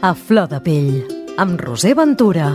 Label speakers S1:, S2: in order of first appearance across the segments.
S1: A flor de pell, amb Roser Ventura.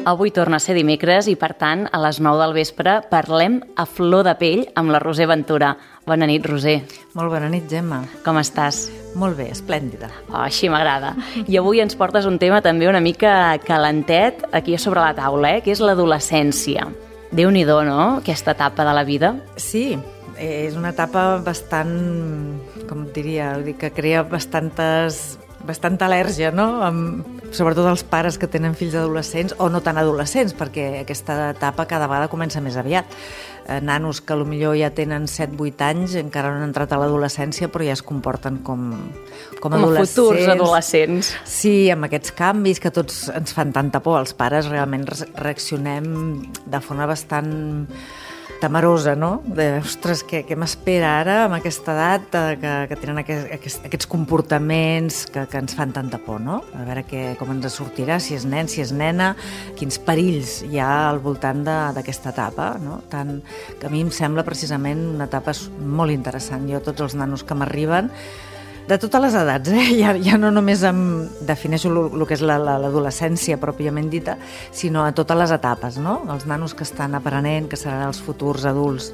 S2: Avui torna a ser dimecres i, per tant, a les 9 del vespre parlem a flor de pell amb la Roser Ventura. Bona nit, Roser.
S3: Molt bona nit, Gemma.
S2: Com estàs?
S3: Molt bé, esplèndida.
S2: Oh, així m'agrada. I avui ens portes un tema també una mica calentet aquí sobre la taula, que és l'adolescència. Déu-n'hi-do, no?, aquesta etapa de la vida.
S3: Sí, és una etapa bastant, com et diria, que crea bastanta al·lèrgia, no? Sobretot els pares que tenen fills adolescents o no tan adolescents, perquè aquesta etapa cada vegada comença més aviat. Nanos que potser ja tenen 7-8 anys, encara no han entrat a l'adolescència, però ja es comporten com adolescents.
S2: Com futurs adolescents.
S3: Sí, amb aquests canvis que tots ens fan tanta por. Els pares realment reaccionem de forma bastant temerosa, no? Ostres, què m'espera ara amb aquesta edat que tenen aquests comportaments que ens fan tanta por, no? A veure com ens sortirà, si és nen, si és nena, quins perills hi ha al voltant d'aquesta etapa, no? Tant que a mi em sembla precisament una etapa molt interessant. Jo, tots els nanos que m'arriben, de totes les edats, ja no només defineixo el que és l'adolescència pròpiament dita, sinó a totes les etapes, no? Els nanos que estan aprenent, que seran els futurs adults,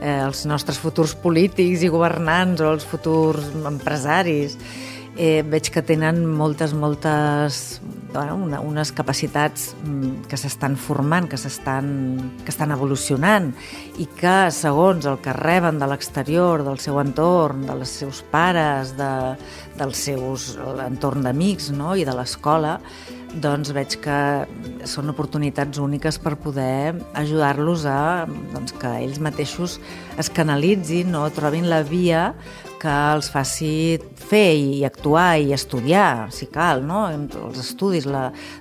S3: els nostres futurs polítics i governants o els futurs empresaris. Veig que tenen unes capacitats que s'estan formant, que estan evolucionant i que, segons el que reben de l'exterior, del seu entorn, dels seus pares, del seu entorn d'amics, no?, i de l'escola, doncs veig que són oportunitats úniques per poder ajudar-los a que ells mateixos es canalitzin o trobin la via que els faci fer i actuar i estudiar, si cal, no? Els estudis,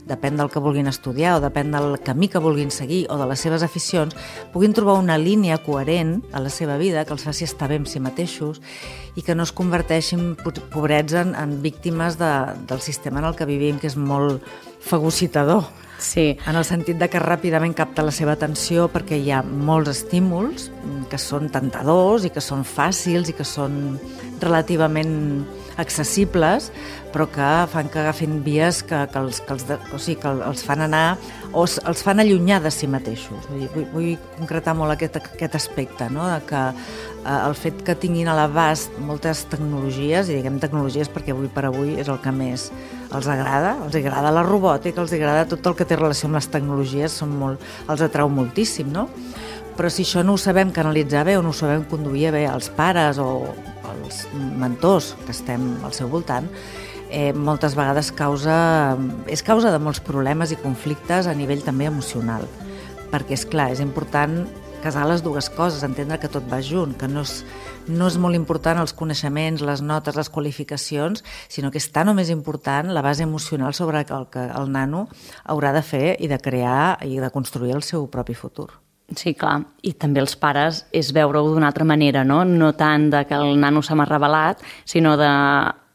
S3: depèn del que vulguin estudiar o depèn del camí que vulguin seguir o de les seves aficions, puguin trobar una línia coherent a la seva vida que els faci estar bé amb si mateixos i que no es converteixin pobrets en víctimes del sistema en el que vivim, que és molt fagocitador.
S2: Sí.
S3: En el sentit de que ràpidament capta la seva atenció perquè hi ha molts estímuls que són tentadors i que són fàcils i que són relativament accessibles, però que fan que agafin vies que els fan anar o els fan allunyar de si mateixos. Vull concretar molt aquest aspecte, no?, de que el fet que tinguin a l'abast moltes tecnologies, i diguem tecnologies perquè avui per avui és el que més els agrada la robòtica, els agrada tot el que té relació amb les tecnologies, els atrau moltíssim, no? Però si això no ho sabem canalitzar bé o no ho sabem conduir bé els pares o els mentors que estem al seu voltant, moltes vegades és causa de molts problemes i conflictes a nivell també emocional. Perquè, és clar, és important casar les dues coses, entendre que tot va junt, que no és molt important els coneixements, les notes, les qualificacions, sinó que és tan o més important la base emocional sobre el que el nano haurà de fer i de crear i de construir el seu propi futur.
S2: Sí, clar. I també els pares és veure-ho d'una altra manera, no? No tant de que el nano se m'ha revelat, sinó de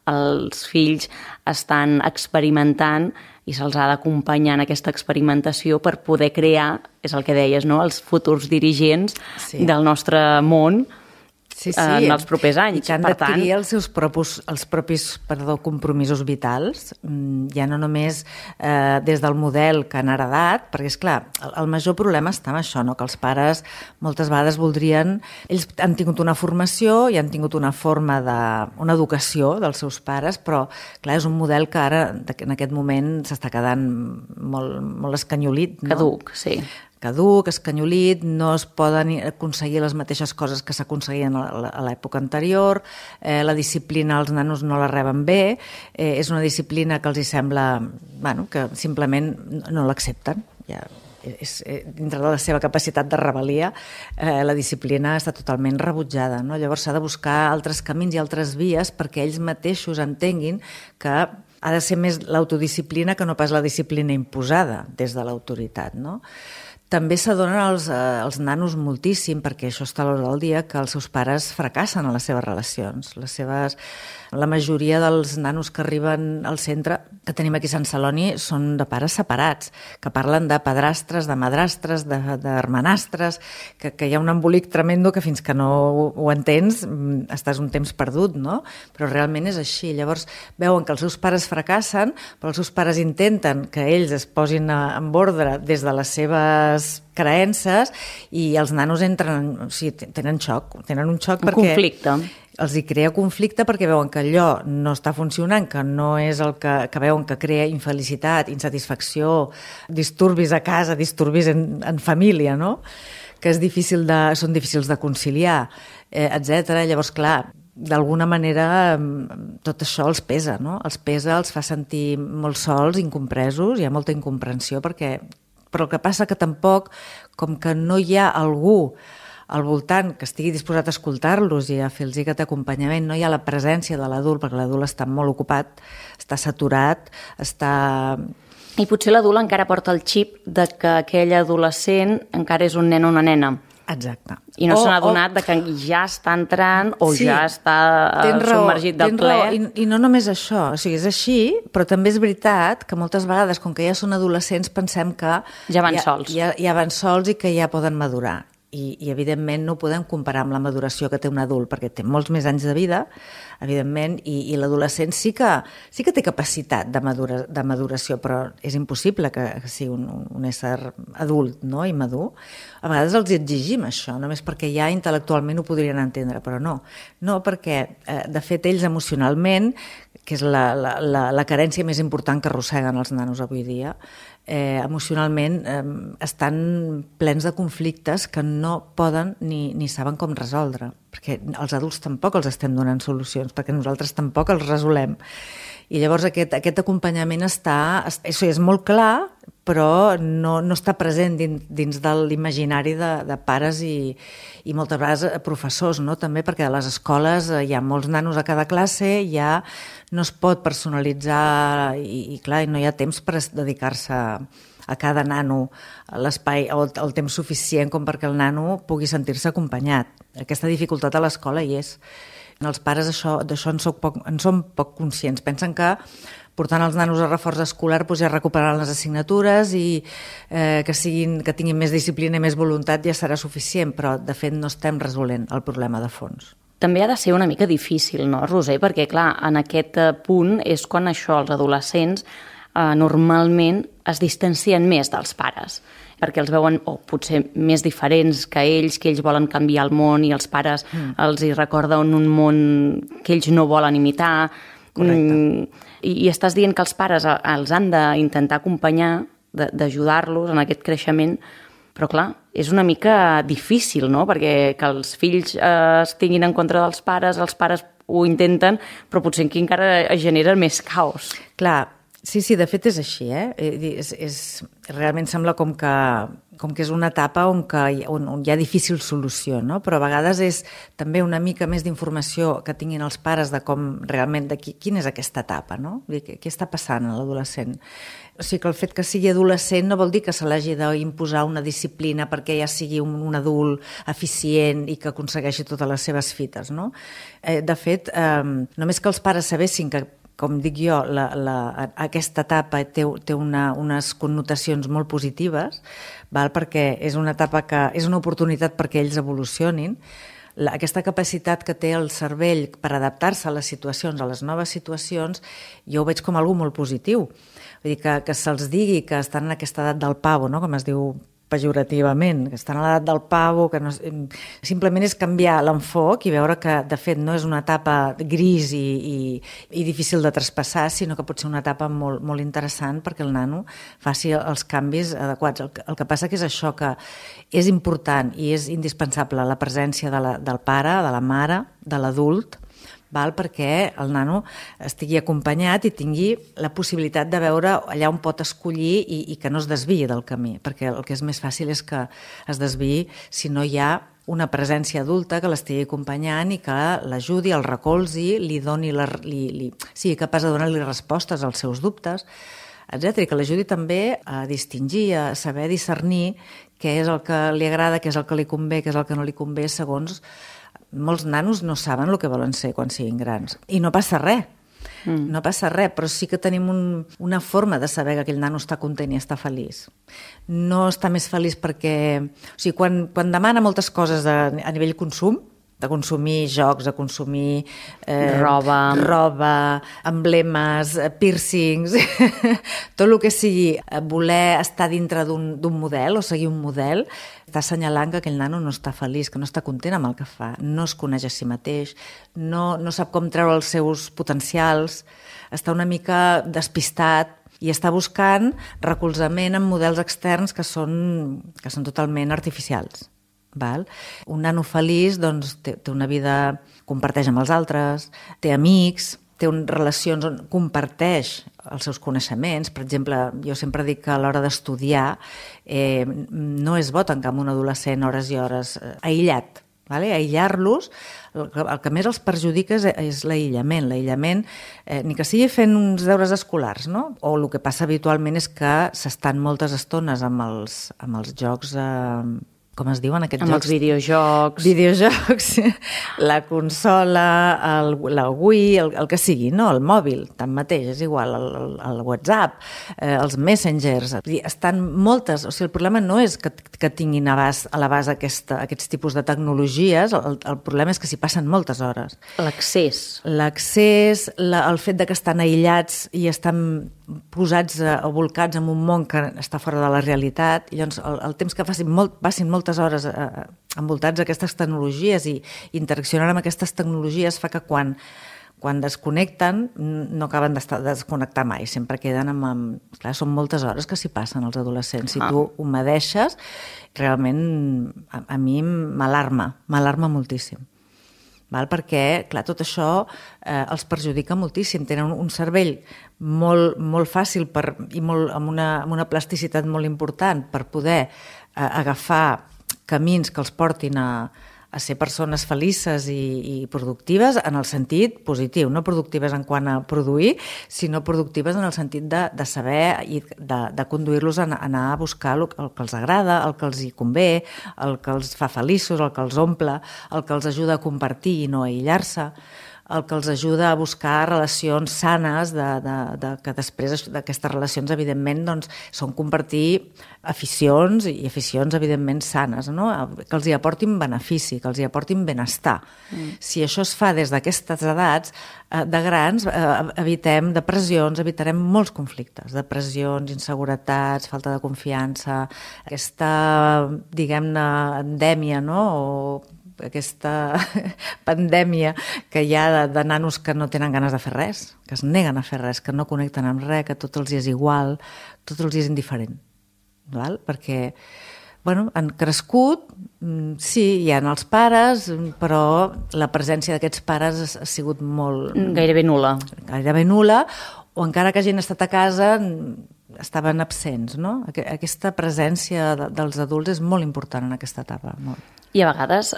S2: els fills estan experimentant i se'ls ha d'acompanyar en aquesta experimentació per poder crear, és el que deies, no?, els futurs dirigents del nostre món en els propers anys.
S3: I que han d'adquirir els propis compromisos vitals, ja no només des del model que han heredat, perquè, esclar, el major problema està en això, no?, que els pares moltes vegades ells han tingut una formació i han tingut una educació dels seus pares, però, clar, és un model que ara, en aquest moment, s'està quedant molt escanyolit, no? Caduc, escanyolit, no es poden aconseguir les mateixes coses que s'aconseguien a l'època anterior, la disciplina els nanos no la reben bé, és una disciplina que els hi sembla, que simplement no l'accepten, dintre de la seva capacitat de rebel·lia, la disciplina està totalment rebutjada, no? Llavors s'ha de buscar altres camins i altres vies perquè ells mateixos entenguin que ha de ser més l'autodisciplina que no pas la disciplina imposada des de l'autoritat, no? També s'adonen els nanos moltíssim, perquè això està a l'hora del dia, que els seus pares fracassen en les seves relacions. La majoria dels nanos que arriben al centre que tenim aquí a Sant Celoni són de pares separats, que parlen de padrastres, de madrastres, d'hermanastres, que hi ha un embolic tremendo que fins que no ho entens estàs un temps perdut, no? Però realment és així. Llavors veuen que els seus pares fracassen, però els seus pares intenten que ells es posin en ordre des de les seves creences i els nanos tenen un xoc perquè...
S2: Un conflicte.
S3: Els hi crea conflicte perquè veuen que allò no està funcionant, que no és el que veuen que crea infelicitat, insatisfacció, disturbis a casa, disturbis en família, no? Que són difícils de conciliar, etc. Llavors, clar, d'alguna manera tot això els pesa, no? Els pesa, els fa sentir molt sols, incompresos, hi ha molta incomprensió, però el que passa que tampoc, com que no hi ha algú al voltant que estigui disposat a escoltar-los i a fer-los aquest acompanyament, no hi ha la presència de l'adult, perquè l'adult està molt ocupat, està saturat,
S2: I potser l'adult encara porta el xip de que aquell adolescent encara és un nen o una nena.
S3: Exacte.
S2: I no s'ha adonat que ja està entrant o
S3: sí,
S2: ja està submergit del ple.
S3: I no només això, o sigui, és així, però també és veritat que moltes vegades, com que ja són adolescents, pensem que
S2: ja van sols.
S3: Ja van sols i que ja poden madurar. I evidentment no ho podem comparar amb la maduració que té un adult, perquè té molts més anys de vida, evidentment, i l'adolescent sí que té capacitat de maduració, però és impossible que sigui un ésser adult, no?, i madur. A vegades els exigim això, només perquè ja intel·lectualment ho podrien entendre, però no. No, perquè, de fet, ells emocionalment, que és la carència més important que arrosseguen els nanos avui dia, emocionalment estan plens de conflictes que no poden ni saben com resoldre, perquè els adults tampoc els estem donant solucions, perquè nosaltres tampoc els resolem. I llavors aquest acompanyament és molt clar, però no està present dins de l'imaginari de pares i moltes vegades professors, no? També perquè a les escoles hi ha molts nanos a cada classe, ja no es pot personalitzar i clar, no hi ha temps per dedicar-se a cada nano l'espai o el temps suficient com perquè el nano pugui sentir-se acompanyat. Aquesta dificultat a l'escola hi és. Els pares d'això en són poc conscients. Pensen que portant els nanos a reforç escolar ja recuperaran les assignatures i que tinguin més disciplina i més voluntat ja serà suficient, però de fet no estem resolent el problema de fons.
S2: També ha de ser una mica difícil, no, Roser? Perquè, clar, en aquest punt és quan els adolescents normalment es distancien més dels pares, perquè els veuen potser més diferents que ells volen canviar el món i els pares els hi recorden un món que ells no volen imitar. I estàs dient que els pares els han d'intentar acompanyar, d'ajudar-los en aquest creixement, però clar, és una mica difícil, no? Perquè que els fills estiguin en contra dels pares, els pares ho intenten, però potser aquí encara es genera més caos.
S3: Clar, sí, de fet és així, realment sembla com que és una etapa on hi ha difícil solució, no? Però a vegades és també una mica més d'informació que tinguin els pares de com realment, quina és aquesta etapa, no? Què està passant a l'adolescent? O sigui que el fet que sigui adolescent no vol dir que se l'hagi d'imposar una disciplina perquè ja sigui un adult eficient i que aconsegueixi totes les seves fites, no? De fet, només que els pares sabessin que, com dic jo, aquesta etapa té unes connotacions molt positives, perquè és una etapa que és una oportunitat perquè ells evolucionin. Aquesta capacitat que té el cervell per adaptar-se a les situacions, a les noves situacions, jo ho veig com algo molt positiu. Vull dir que se'ls digui que estan en aquesta edat del pavo, no?, com es diu pejorativament, que estan a l'edat del pavo, que no, simplement és canviar l'enfoc i veure que, de fet, no és una etapa gris i difícil de traspassar, sinó que pot ser una etapa molt, molt interessant perquè el nano faci els canvis adequats. El que passa que és això, que és important i és indispensable la presència del pare, de la mare, de l'adult, perquè el nano estigui acompanyat i tingui la possibilitat de veure allà on pot escollir i que no es desviï del camí, perquè el que és més fàcil és que es desviï si no hi ha una presència adulta que l'estigui acompanyant i que l'ajudi, el recolzi, sigui capaç de donar-li respostes als seus dubtes, etc. I que l'ajudi també a distingir, a saber discernir què és el que li agrada, què és el que li convé, què és el que no li convé, segons molts nanos no saben el que volen ser quan siguin grans. I no passa res. No passa res, però sí que tenim una forma de saber que aquell nano està content i està feliç. No està més feliç perquè... O sigui, quan demana moltes coses a nivell consum, de consumir jocs, de consumir roba, emblemes, piercings, tot el que sigui voler estar dintre d'un model o seguir un model, està assenyalant que aquell nano no està feliç, que no està content amb el que fa, no es coneix a si mateix, no sap com treure els seus potencials, està una mica despistat i està buscant recolzament en models externs que són totalment artificials. Val? Un nano feliç doncs, té una vida, comparteix amb els altres, té amics, té relacions on comparteix els seus coneixements. Per exemple, jo sempre dic que a l'hora d'estudiar no és bo tancar amb un adolescent hores i hores aïllat. Vale? Aïllar-los, el que més els perjudica és l'aïllament. L'aïllament, ni que sigui fent uns deures escolars, no? O el que passa habitualment és que s'estan moltes estones amb els jocs... com es diuen aquests jocs?
S2: Amb els videojocs.
S3: Videojocs, la consola, la Wii, el que sigui, no? El mòbil, tanmateix, és igual, el WhatsApp, els Messengers. Estan moltes... O sigui, el problema no és que tinguin a l'abast aquests tipus de tecnologies, el problema és que s'hi passen moltes hores.
S2: L'accés.
S3: L'accés, el fet de que estan aïllats i estan posats o volcats en un món que està fora de la realitat, i llavors el temps que passin moltes hores envoltats d'aquestes tecnologies i interaccionant amb aquestes tecnologies fa que quan desconnecten no acaben de desconnectar mai, sempre queden amb... Clar, són moltes hores que s'hi passen els adolescents. Si tu ho medeixes, realment a mi m'alarma moltíssim. Val? Perquè, clar, tot això els perjudica moltíssim. Tenen un cervell molt fàcil i amb una plasticitat molt important per poder agafar camins que els portin a ser persones felices i productives en el sentit positiu, no productives en quant a produir, sinó productives en el sentit de saber i de conduir-los a anar a buscar el que els agrada, el que els hi convé, el que els fa feliços, el que els omple, el que els ajuda a compartir i no a aïllar-se, el que els ajuda a buscar relacions sanes, que després d'aquestes relacions, evidentment, doncs, són compartir aficions i aficions, evidentment, sanes, no? Que els hi aportin benefici, que els hi aportin benestar. Si això es fa des d'aquestes edats, de grans, evitem depressions, evitarem molts conflictes, depressions, inseguretats, falta de confiança, aquesta, diguem-ne, endèmia, no?, o aquesta pandèmia que hi ha de nanos que no tenen ganes de fer res, que es neguen a fer res, que no connecten amb res, que tot els és igual, tot els és indiferent. Val? Perquè han crescut, sí, hi ha els pares, però la presència d'aquests pares ha sigut molt...
S2: Gairebé nul·la.
S3: Gairebé nul·la, o encara que hagin estat a casa estaven absents, no? Aquesta presència dels adults és molt important en aquesta etapa, molt.
S2: I a vegades,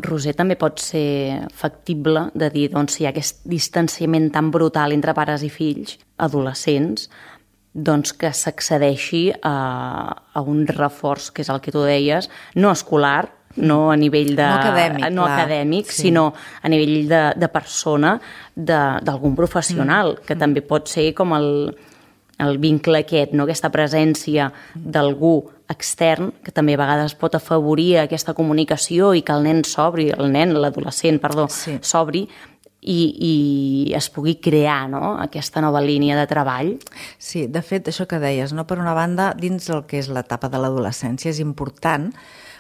S2: Roser, també pot ser factible de dir, doncs, si hi ha aquest distanciament tan brutal entre pares i fills, adolescents, doncs que s'accedeixi a un reforç, que és el que tu deies, no escolar, no a nivell de...
S3: No
S2: acadèmic,
S3: sí.
S2: Sinó a nivell de persona, d'algun professional, que també pot ser com el vincle aquest, no? Aquesta presència d'algú extern, que també a vegades pot afavorir aquesta comunicació i que el nen s'obri, l'adolescent,
S3: sí.
S2: s'obri i es pugui crear, no?, aquesta nova línia de treball.
S3: Sí, de fet, això que deies, no? Per una banda, dins el que és l'etapa de l'adolescència és important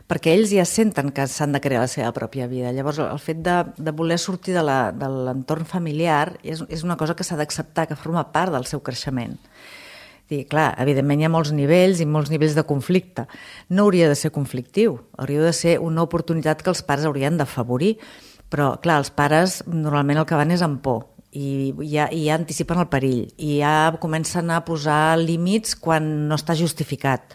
S3: perquè ells ja senten que s'han de crear la seva pròpia vida. Llavors, el fet de voler sortir de l'entorn familiar és una cosa que s'ha d'acceptar, que forma part del seu creixement. I, clar, evidentment hi ha molts nivells i molts nivells de conflicte. No hauria de ser conflictiu, hauria de ser una oportunitat que els pares haurien d'afavorir. Però, clar, els pares normalment el que van és amb por i ja anticipen el perill i ja comencen a posar límits quan no està justificat.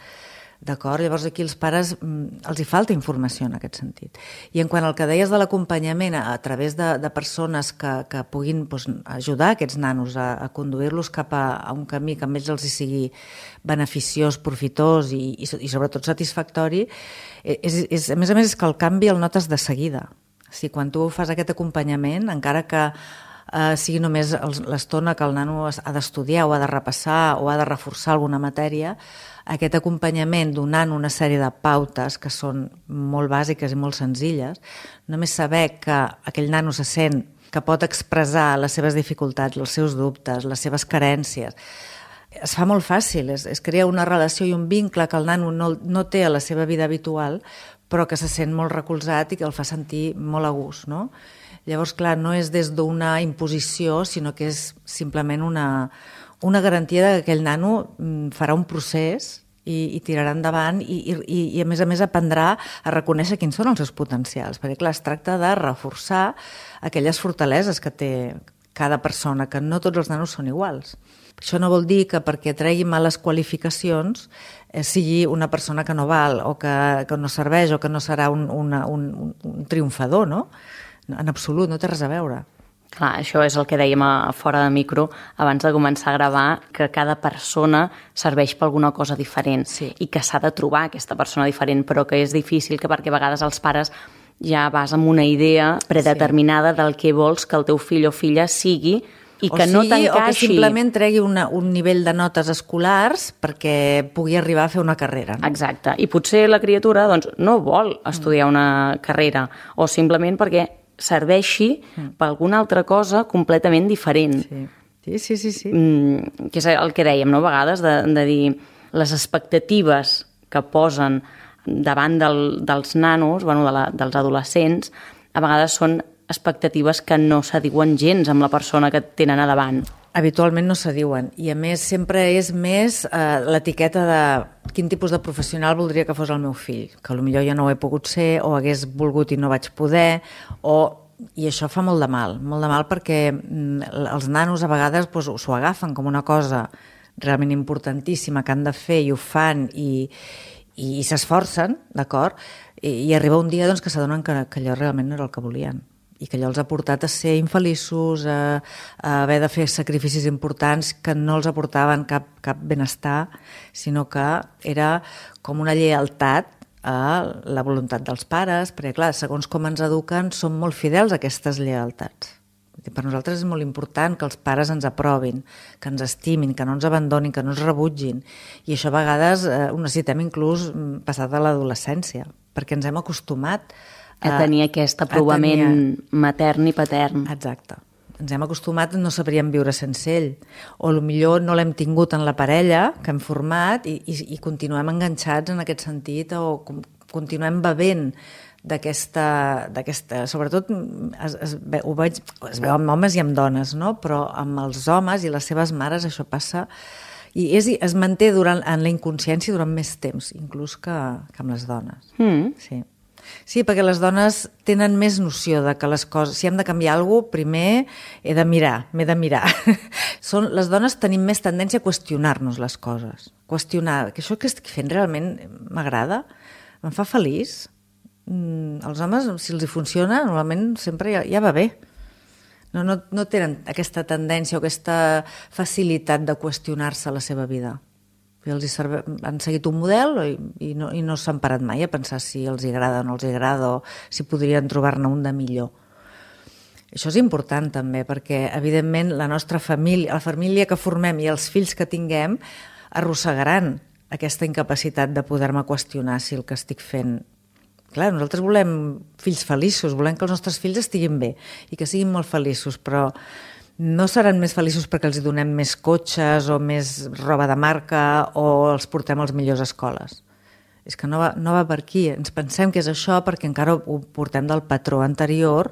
S3: D'acord? Llavors aquí els pares els hi falta informació en aquest sentit. I en quant al que deies de l'acompanyament a través de persones que puguin ajudar aquests nanos a conduir-los cap a un camí que a ells els hi sigui beneficiós, profitós i sobretot satisfactori, a més és que el canvi el notes de seguida. O sigui, quan tu fas aquest acompanyament, encara que sigui només l'estona que el nano ha d'estudiar o ha de repassar o ha de reforçar alguna matèria, aquest acompanyament donant una sèrie de pautes que són molt bàsiques i molt senzilles, només saber que aquell nano se sent que pot expressar les seves dificultats, els seus dubtes, les seves carències, es fa molt fàcil, es crea una relació i un vincle que el nano no té a la seva vida habitual, però que se sent molt recolzat i que el fa sentir molt a gust, no? Llavors, clar, no és des d'una imposició, sinó que és simplement una garantia que aquell nano farà un procés i tirarà endavant i a més aprendrà a reconèixer quins són els seus potencials, perquè clar, es tracta de reforçar aquelles fortaleses que té cada persona, que no tots els nanos són iguals. Això no vol dir que perquè tregui males qualificacions sigui una persona que no val o que no serveix o que no serà un triomfador, no? En absolut, no té res a veure.
S2: Clar, això és el que dèiem a fora de micro abans de començar a gravar, que cada persona serveix per alguna cosa diferent i que s'ha de trobar aquesta persona diferent, però que és difícil perquè a vegades els pares ja vas amb una idea predeterminada del que vols que el teu fill o filla sigui i que no t'encaixi.
S3: O que simplement tregui un nivell de notes escolars perquè pugui arribar a fer una carrera. No?
S2: Exacte. I potser la criatura no vol estudiar una carrera o simplement perquè serveixi per alguna altra cosa completament diferent.
S3: Sí.
S2: Que és el que dèiem, no? A vegades, de dir les expectatives que posen davant dels nanos, dels adolescents, a vegades són expectatives que no s'adiuen gens amb la persona que tenen a davant.
S3: Habitualment no s'adiuen i a més sempre és més l'etiqueta de quin tipus de professional voldria que fos el meu fill, que potser jo no ho he pogut ser o hagués volgut i no vaig poder i això fa molt de mal perquè els nanos a vegades s'ho agafen com una cosa realment importantíssima que han de fer i ho fan i s'esforcen, d'acord? I arriba un dia que s'adonen que allò realment no era el que volien i que allò els ha portat a ser infeliços, a haver de fer sacrificis importants que no els aportaven cap benestar, sinó que era com una lleialtat a la voluntat dels pares, perquè clar, segons com ens eduquen, som molt fidels a aquestes lleialtats. Per nosaltres és molt important que els pares ens aprovin, que ens estimin, que no ens abandonin, que no ens rebutgin. I això a vegades ho necessitem inclús passat de l'adolescència, perquè ens hem acostumat
S2: a tenir aquest aprovament matern i patern.
S3: Exacte. Ens hem acostumat, no sabríem viure sense ell. O potser no l'hem tingut en la parella que hem format i continuem enganxats en aquest sentit o continuem bevent d'aquesta... Sobretot es veu amb homes i amb dones, no? Però amb els homes i les seves mares això passa i es manté en la inconsciència durant més temps, inclús que amb les dones. Sí, perquè les dones tenen més noció de que les coses... Si hem de canviar alguna cosa, primer m'he de mirar. Les dones tenim més tendència a qüestionar-nos les coses. Qüestionar, que això que estic fent realment m'agrada, em fa feliç. Els homes, si els hi funciona, normalment sempre ja va bé. No tenen aquesta tendència o aquesta facilitat de qüestionar-se la seva vida. Han seguit un model i no s'han parat mai a pensar si els agrada o no els agrada o si podrien trobar-ne un de millor. Això és important també perquè, evidentment, la nostra família, la família que formem i els fills que tinguem arrossegaran aquesta incapacitat de poder-me qüestionar si el que estic fent... Clar, nosaltres volem fills feliços, volem que els nostres fills estiguin bé i que siguin molt feliços, però no seran més feliços perquè els donem més cotxes o més roba de marca o els portem a les millors escoles. És que no va per aquí. Ens pensem que és això perquè encara ho portem del patró anterior.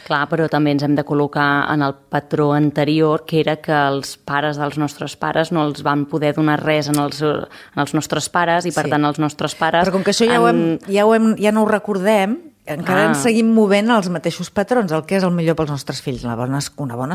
S2: Clar, però també ens hem de col·locar en el patró anterior, que era que els pares dels nostres pares no els van poder donar res en els nostres pares i, per tant, els nostres pares...
S3: Però com que això ja no ho recordem encara ens seguim movent els mateixos patrons, el que és el millor pels nostres fills, una bona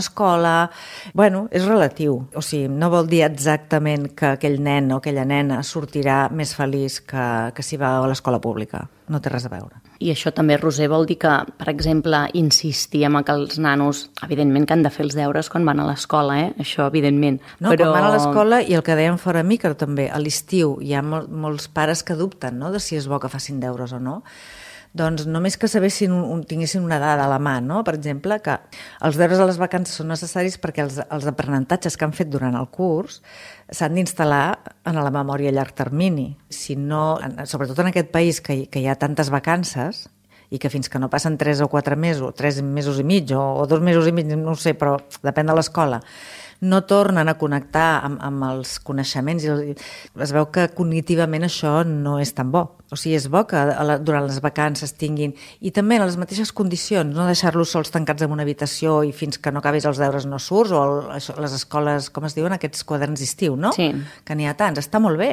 S3: escola... Bueno, és relatiu. O sigui, no vol dir exactament que aquell nen o aquella nena sortirà més feliç que si va a l'escola pública. No té res a veure.
S2: I això també, Roser, vol dir que, per exemple, insistir en que els nanos, evidentment que han de fer els deures quan van a l'escola, això evidentment.
S3: No, però... quan van a l'escola, i el que dèiem fora micro també, a l'estiu hi ha molts pares que dubten, no?, de si és bo que facin deures o no. Doncs només que sabessin, tinguessin una dada a la mà, no? Per exemple, que els deures a les vacances són necessaris perquè els aprenentatges que han fet durant el curs s'han d'instal·lar en la memòria a llarg termini. Si no, sobretot en aquest país que hi ha tantes vacances i que fins que no passen 3 o 4 mesos, 3 mesos i mig o 2 mesos i mig, no ho sé, però depèn de l'escola, no tornen a connectar amb els coneixements i es veu que cognitivament això no és tan bo. O sigui, és bo que durant les vacances tinguin, i també en les mateixes condicions, no deixar-los sols tancats en una habitació i fins que no acabis els deures no surts, o les escoles, com es diuen, aquests quaderns d'estiu, no?
S2: Sí.
S3: Que n'hi ha tants, està molt bé.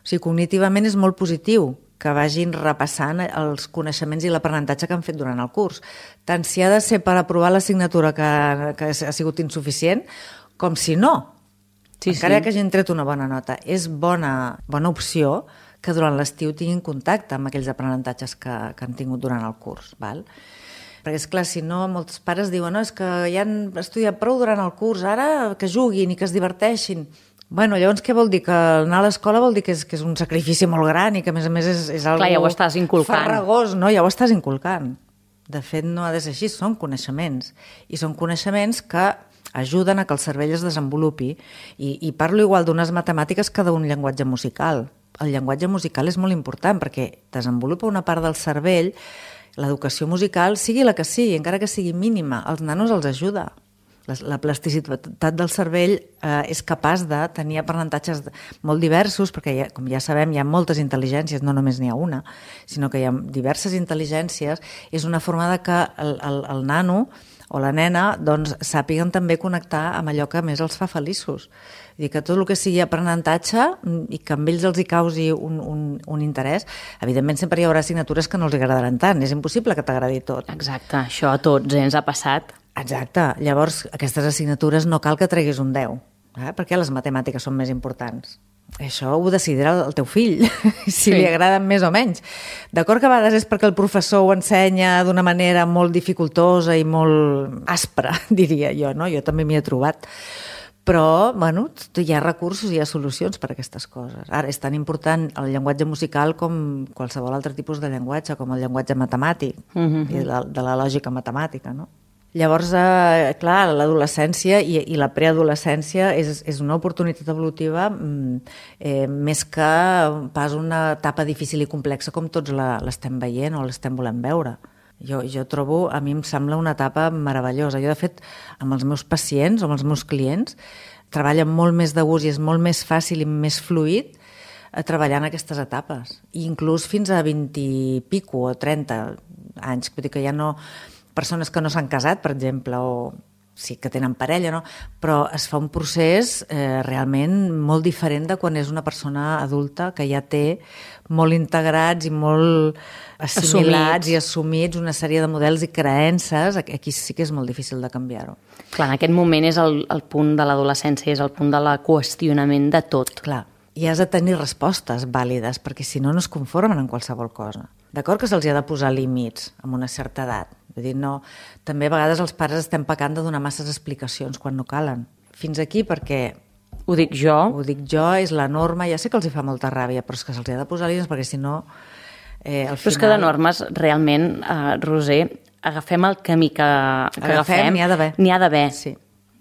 S3: O sigui, cognitivament és molt positiu que vagin repassant els coneixements i l'aprenentatge que han fet durant el curs. Tant si ha de ser per aprovar l'assignatura que ha sigut insuficient, com si no. Encara que hagin tret una bona nota. És bona opció que durant l'estiu tinguin contacte amb aquells aprenentatges que han tingut durant el curs. Val? Perquè, esclar, si no, molts pares diuen no, és que ja han estudiat prou durant el curs, ara que juguin i que es diverteixin. Bueno, llavors què vol dir? Que anar a l'escola vol dir que és un sacrifici molt gran i que, a més és algo...
S2: Clar, ja ho estàs inculcant.
S3: Farragós, no? Ja ho estàs inculcant. De fet, no ha de ser així, són coneixements. I són coneixements que ajuden a que el cervell es desenvolupi. I parlo igual d'unes matemàtiques que d'un llenguatge musical. El llenguatge musical és molt important perquè desenvolupa una part del cervell. L'educació musical, sigui la que sigui, encara que sigui mínima, als nanos els ajuda. La plasticitat del cervell és capaç de tenir aprenentatges molt diversos, perquè, com ja sabem, hi ha moltes intel·ligències, no només n'hi ha una, sinó que hi ha diverses intel·ligències. És una forma de que el nano o la nena doncs, sàpiguen també connectar amb allò que més els fa feliços. Vull dir que tot el que sigui aprenentatge i que amb ells els hi causi un interès, evidentment sempre hi haurà assignatures que no els agradaran tant, és impossible que t'agradi tot.
S2: Exacte, això a tots ens ha passat.
S3: Exacte, llavors aquestes assignatures no cal que treguis un 10, perquè les matemàtiques són més importants. Això ho decidirà el teu fill, si li agraden més o menys. D'acord que a vegades és perquè el professor ho ensenya d'una manera molt dificultosa i molt aspra, diria jo, no? Jo també m'hi he trobat. Però, bueno, hi ha recursos, hi ha solucions per a aquestes coses. Ara, és tan important el llenguatge musical com qualsevol altre tipus de llenguatge, com el llenguatge matemàtic, i de la lògica matemàtica, no? Llavors, clar, l'adolescència i la preadolescència és una oportunitat evolutiva més que pas una etapa difícil i complexa com tots l'estem veient o l'estem volent veure. Jo trobo, a mi em sembla una etapa meravellosa. Jo, de fet, amb els meus pacients o amb els meus clients, treballen molt més de gust i és molt més fàcil i més fluid treballar en aquestes etapes. I inclús fins a 20 i pico o 30 anys. Vull dir que ja no... Persones que no s'han casat, per exemple, o sí que tenen parella, no? Però es fa un procés realment molt diferent de quan és una persona adulta que ja té molt integrats i molt assimilats i assumits una sèrie de models i creences. Aquí sí que és molt difícil de canviar-ho.
S2: Clar, en aquest moment és el punt de l'adolescència, és el punt de la qüestionament de tot.
S3: Clar, i has de tenir respostes vàlides, perquè si no, no es conformen en qualsevol cosa. D'acord que se'ls ha de posar límits amb una certa edat. Vull dir, no, també a vegades els pares estem pecant de donar masses explicacions quan no calen. Fins aquí perquè...
S2: Ho dic jo.
S3: Ho dic jo, és la norma, ja sé que els hi fa molta ràbia, però és que se'ls ha de posar límits perquè si no... al final...
S2: Però és que de normes, realment, Roser, agafem el camí que agafem...
S3: N'hi ha d'haver.
S2: N'hi ha d'haver.
S3: Sí.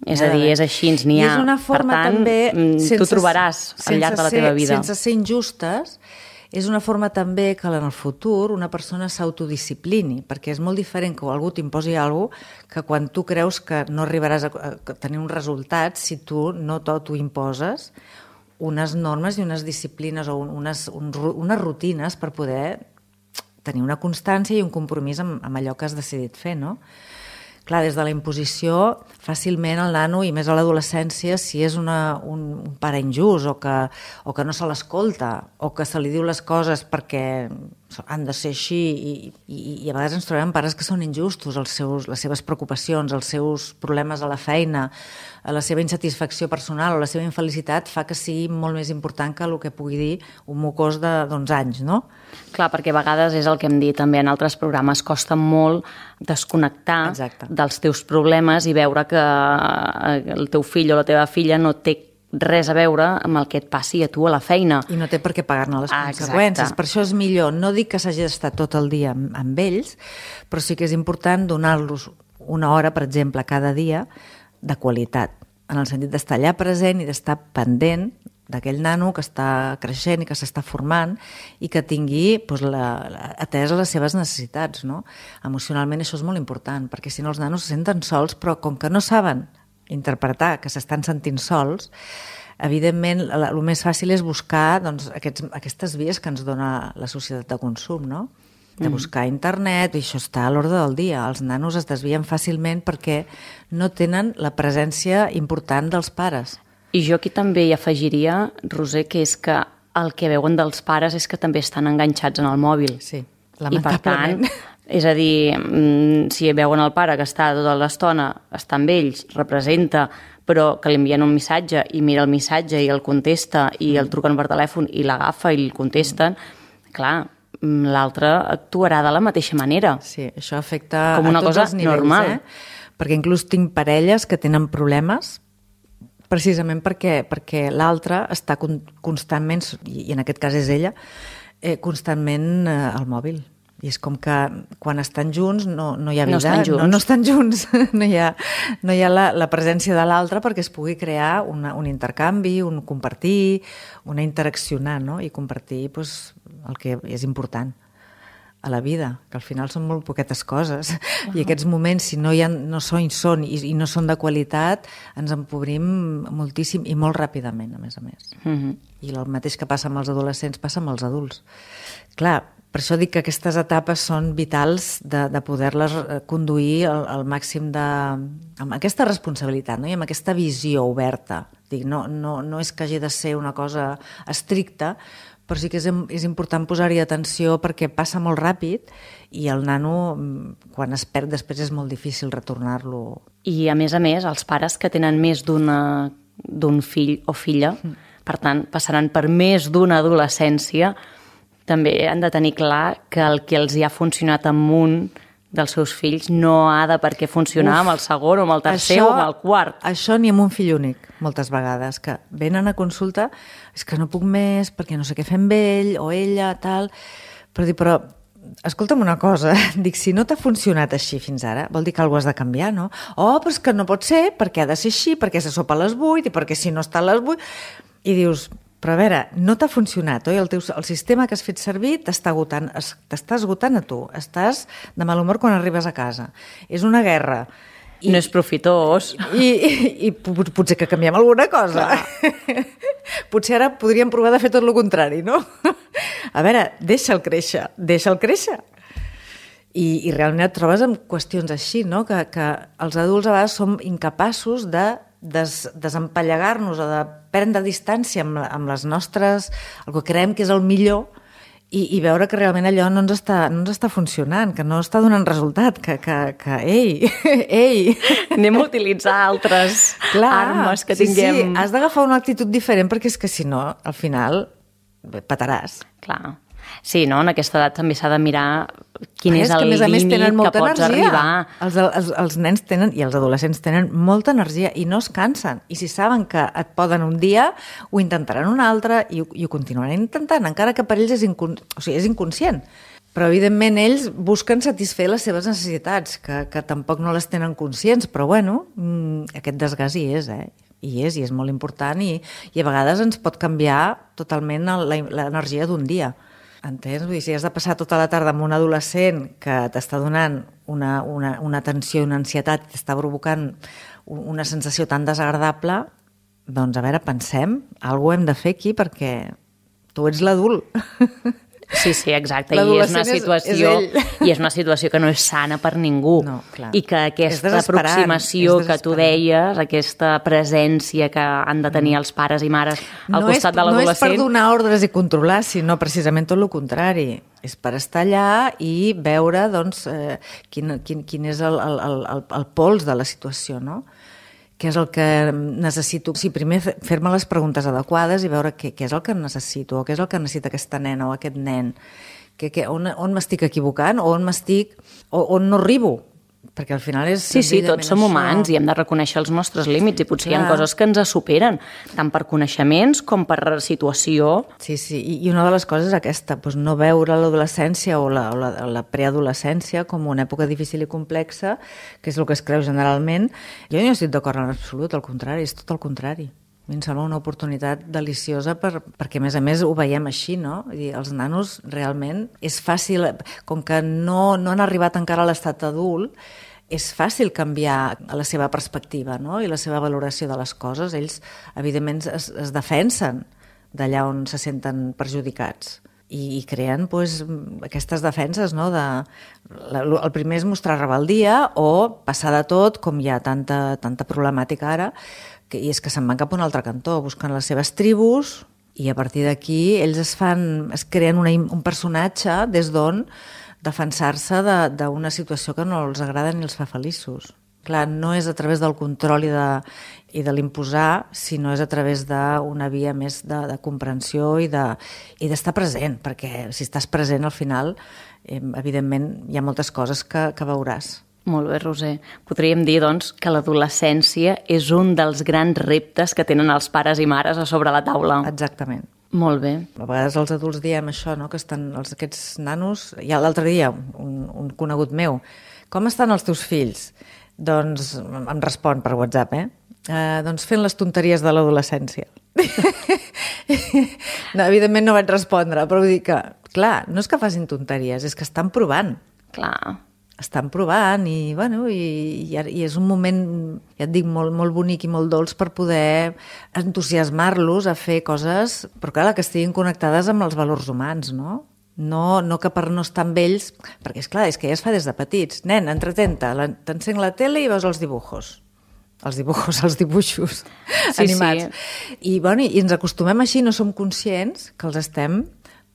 S2: És a dir, és així, n'hi ha.
S3: I és una forma,
S2: per tant,
S3: també,
S2: tu trobaràs al llarg de la teva vida.
S3: Sense ser injustes, és una forma també que en el futur una persona s'autodisciplini, perquè és molt diferent que algú t'imposi alguna cosa que quan tu creus que no arribaràs a tenir un resultat si tu no t'ho imposes unes normes i unes disciplines o unes rutines per poder tenir una constància i un compromís amb allò que has decidit fer, no? Clar, des de la imposició, fàcilment el nano, i més a l'adolescència, si és un pare injust o que no se l'escolta o que se li diu les coses perquè han de ser així i a vegades ens trobem pares que són injustos, les seves preocupacions, els seus problemes a la feina, la seva insatisfacció personal o la seva infelicitat fa que sigui molt més important que el que pugui dir un mocós d'11 anys, no?
S2: Clar, perquè a vegades és el que hem dit també en altres programes, costa molt desconnectar dels teus problemes i veure que el teu fill o la teva filla no té res a veure amb el que et passi a tu a la feina.
S3: I no té per què pagar-ne les conseqüències. Per això és millor, no dic que s'hagi d'estar tot el dia amb ells, però sí que és important donar-los una hora, per exemple, cada dia de qualitat, en el sentit d'estar allà present i d'estar pendent d'aquell nano que està creixent i que s'està formant i que tingui atès les seves necessitats, no? Emocionalment això és molt important, perquè si no els nanos se senten sols, però com que no saben interpretar que s'estan sentint sols, evidentment el més fàcil és buscar aquestes vies que ens dona la societat de consum, no? De buscar a internet, i això està a l'ordre del dia. Els nanos es desvien fàcilment perquè no tenen la presència important dels pares.
S2: I jo aquí també hi afegiria, Roser, que és que el que veuen dels pares és que també estan enganxats en el mòbil.
S3: Sí, lamentablement.
S2: I per tant, és a dir, si veuen el pare que està tota l'estona, està amb ells, representa, però que li envien un missatge i mira el missatge i el contesta i el truquen per telèfon i l'agafa i el contesten, clar, l'altre actuarà de la mateixa manera.
S3: Sí, això afecta
S2: com una
S3: a tots
S2: cosa
S3: els nivells,
S2: normal.
S3: Perquè inclús tinc parelles que tenen problemes precisament perquè l'altre està constantment, i en aquest cas és ella, constantment al mòbil. I és com que quan estan junts no hi ha vida, no estan junts, no hi ha la presència de l'altre perquè es pugui crear un intercanvi, un compartir, una interaccionar, no? I compartir el que és important a la vida, que al final són molt poquetes coses. I aquests moments, si no són i no són de qualitat, ens empobrim moltíssim i molt ràpidament, a més. I el mateix que passa amb els adolescents passa amb els adults. Clar, per això dic que aquestes etapes són vitals de poder-les conduir al màxim amb aquesta responsabilitat, no? I amb aquesta visió oberta. Dic, no és que hagi de ser una cosa estricta, però sí que és important posar-hi atenció perquè passa molt ràpid i el nano, quan es perd, després és molt difícil retornar-lo.
S2: I, a més, els pares que tenen més d'un fill o filla, per tant, passaran per més d'una adolescència, també han de tenir clar que el que els hi ha funcionat amb un dels seus fills no ha de per què funcionar amb el segon o amb el tercer o amb el quart.
S3: Això ni amb un fill únic, moltes vegades, que venen a consulta, és que no puc més perquè no sé què fer amb ell o ella, tal, però escolta'm una cosa, dic, si no t'ha funcionat així fins ara, vol dir que alguna cosa has de canviar, no? Oh, però és que no pot ser, perquè ha de ser així, perquè se sopa a les 8 i perquè si no està a les 8... I dius, però a veure, no t'ha funcionat, oi? El sistema que has fet servir t'està esgotant a tu. Estàs de mal humor quan arribes a casa. És una guerra.
S2: No és profitós.
S3: I potser que canviem alguna cosa. Potser ara podríem provar de fer tot el contrari, no? A veure, deixa'l créixer. I realment et trobes amb qüestions així, no? Que els adults a vegades som incapaços de desempallegar-nos o de prendre distància amb les nostres, el que creiem que és el millor i veure que realment allò no ens està funcionant, que no està donant resultat, que ei!
S2: Anem a utilitzar altres armes que tinguem.
S3: Sí, has d'agafar una actitud diferent perquè és que si no, al final petaràs.
S2: Clar. Sí, no? En aquesta edat també s'ha de mirar quin és el límit que pots arribar.
S3: Els nens tenen, i els adolescents tenen molta energia i no es cansen. I si saben que et poden un dia, ho intentaran un altre i ho continuaran intentant, encara que per ells és inconscient. Però, evidentment, ells busquen satisfer les seves necessitats, que tampoc no les tenen conscients, però, bueno, aquest desgast hi és, i és molt important i a vegades ens pot canviar totalment l'energia d'un dia. Entens? Vull dir, si has de passar tota la tarda amb un adolescent que t'està donant una tensió i una ansietat i t'està provocant una sensació tan desagradable, doncs, a veure, pensem, alguna cosa hem de fer aquí perquè tu ets l'adult.
S2: Sí, exacte, i és una situació que no és sana per ningú.
S3: No, clar.
S2: I que aquesta aproximació que tu deies, aquesta presència que han de tenir els pares i mares al costat de l'adolescent...
S3: No és per donar ordres i controlar, sinó precisament tot el contrari. És per estar allà i veure doncs, quin és el pols de la situació, no? Què és el que necessito? Sí, primer fer-me les preguntes adequades i veure què és el que necessito, o què és el que necessita aquesta nena o aquest nen, on m'estic equivocant o on no arribo. Perquè al final és...
S2: Sí, tots som humans i hem de reconèixer els nostres límits i potser hi ha coses que ens superen, tant per coneixements com per situació.
S3: Sí, i una de les coses és aquesta, doncs no veure l'adolescència o la preadolescència com una època difícil i complexa, que és el que es creu generalment. Jo no estic d'acord en absolut, al contrari, és tot el contrari. A mi em sembla una oportunitat deliciosa perquè, a més, ho veiem així, no? I els nanos realment és fàcil, com que no han arribat encara a l'estat adult, és fàcil canviar la seva perspectiva, no? I la seva valoració de les coses. Ells, evidentment, es defensen d'allà on se senten perjudicats i creen aquestes defenses, no? El primer és mostrar rebeldia o passar de tot, com hi ha tanta problemàtica ara, i és que se'n van cap a un altre cantó, busquen les seves tribus, i a partir d'aquí ells es creen un personatge des d'on defensar-se d'una situació que no els agrada ni els fa feliços. Clar, no és a través del control i de l'imposar, sinó és a través d'una via més de comprensió i d'estar present, perquè si estàs present al final, evidentment, hi ha moltes coses que veuràs.
S2: Molt bé, Roser. Podríem dir, doncs, que l'adolescència és un dels grans reptes que tenen els pares i mares a sobre la taula.
S3: Exactament.
S2: Molt bé.
S3: A vegades els adults diem això, no? Que estan aquests nanos... Ja l'altre dia, un conegut meu, com estan els teus fills? Doncs em respon per WhatsApp, doncs fent les tonteries de l'adolescència. No, evidentment no vaig respondre, però vull dir que, clar, no és que facin tonteries, és que estan provant.
S2: Clar.
S3: Estan provant i és un moment, ja et dic, molt bonic i molt dolç per poder entusiasmar-los a fer coses, però clar, que estiguin connectades amb els valors humans, no? No que per no estar amb ells, perquè és que ja es fa des de petits. Nen, entretenta, t'encenc la tele i veus els dibuixos. Els dibuixos animats. Sí. I ens acostumem així, no som conscients que els estem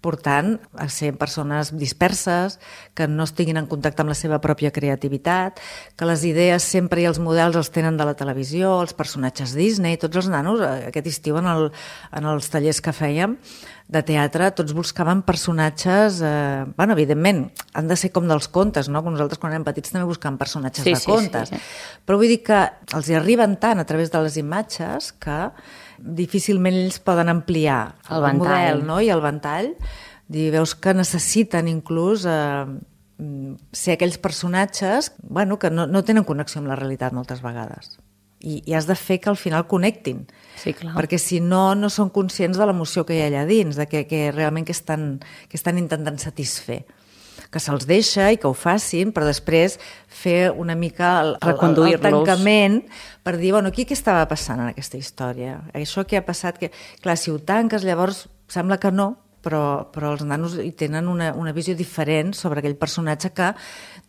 S3: portant a ser persones disperses, que no estiguin en contacte amb la seva pròpia creativitat, que les idees sempre i els models els tenen de la televisió, els personatges Disney, tots els nanos, aquest estiu en els tallers que fèiem de teatre, tots buscaven personatges, evidentment, han de ser com dels contes, no? Com nosaltres quan érem petits també buscàvem personatges de contes. Sí. Però vull dir que els hi arriben tant a través de les imatges que difícilment ells poden ampliar el model, no? I el ventall. Veus que necessiten inclús ser aquells personatges que no tenen connexió amb la realitat moltes vegades. I has de fer que al final connectin.
S2: Sí, clar.
S3: Perquè si no són conscients de l'emoció que hi ha allà dins, de que realment que estan intentant satisfer. Que se'ls deixa i que ho facin, però després fer una mica el tancament per dir, aquí què estava passant en aquesta història? Això que ha passat... Clar, si ho tanques, llavors sembla que no, però els nanos hi tenen una visió diferent sobre aquell personatge que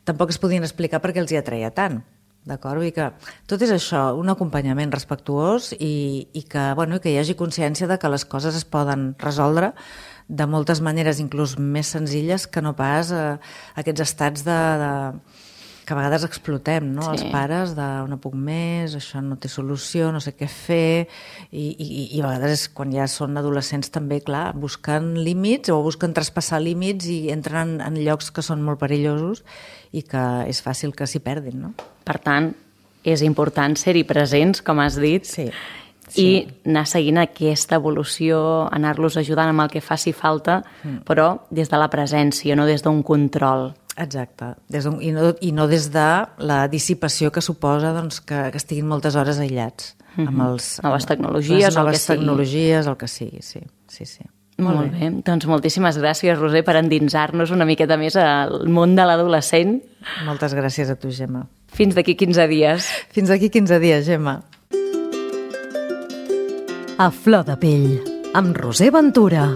S3: tampoc es podien explicar perquè els hi atreia tant. D'acord? Vull dir que tot és això, un acompanyament respectuós i que hi hagi consciència de que les coses es poden resoldre de moltes maneres, inclús més senzilles que no pas aquests estats que a vegades explotem, no? Els pares no puc més, això no té solució, no sé què fer, i a vegades quan ja són adolescents també, clar, busquen límits o busquen traspassar límits i entren en llocs que són molt perillosos i que és fàcil que s'hi perdin, no?
S2: Per tant, és important ser-hi presents, com has dit, i anar seguint aquesta evolució, anar-los ajudant amb el que faci falta, però des de la presència, no des d'un control.
S3: Exacte, i no des de la dissipació que suposa que estiguin moltes hores aïllats amb
S2: noves tecnologies,
S3: el que sigui, sí.
S2: Molt bé, doncs moltíssimes gràcies, Roser, per endinsar-nos una miqueta més al món de l'adolescent.
S3: Moltes gràcies a tu, Gemma.
S2: Fins d'aquí 15 dies.
S3: Fins d'aquí 15 dies, Gemma.
S1: A flor de pell, amb Roser Ventura.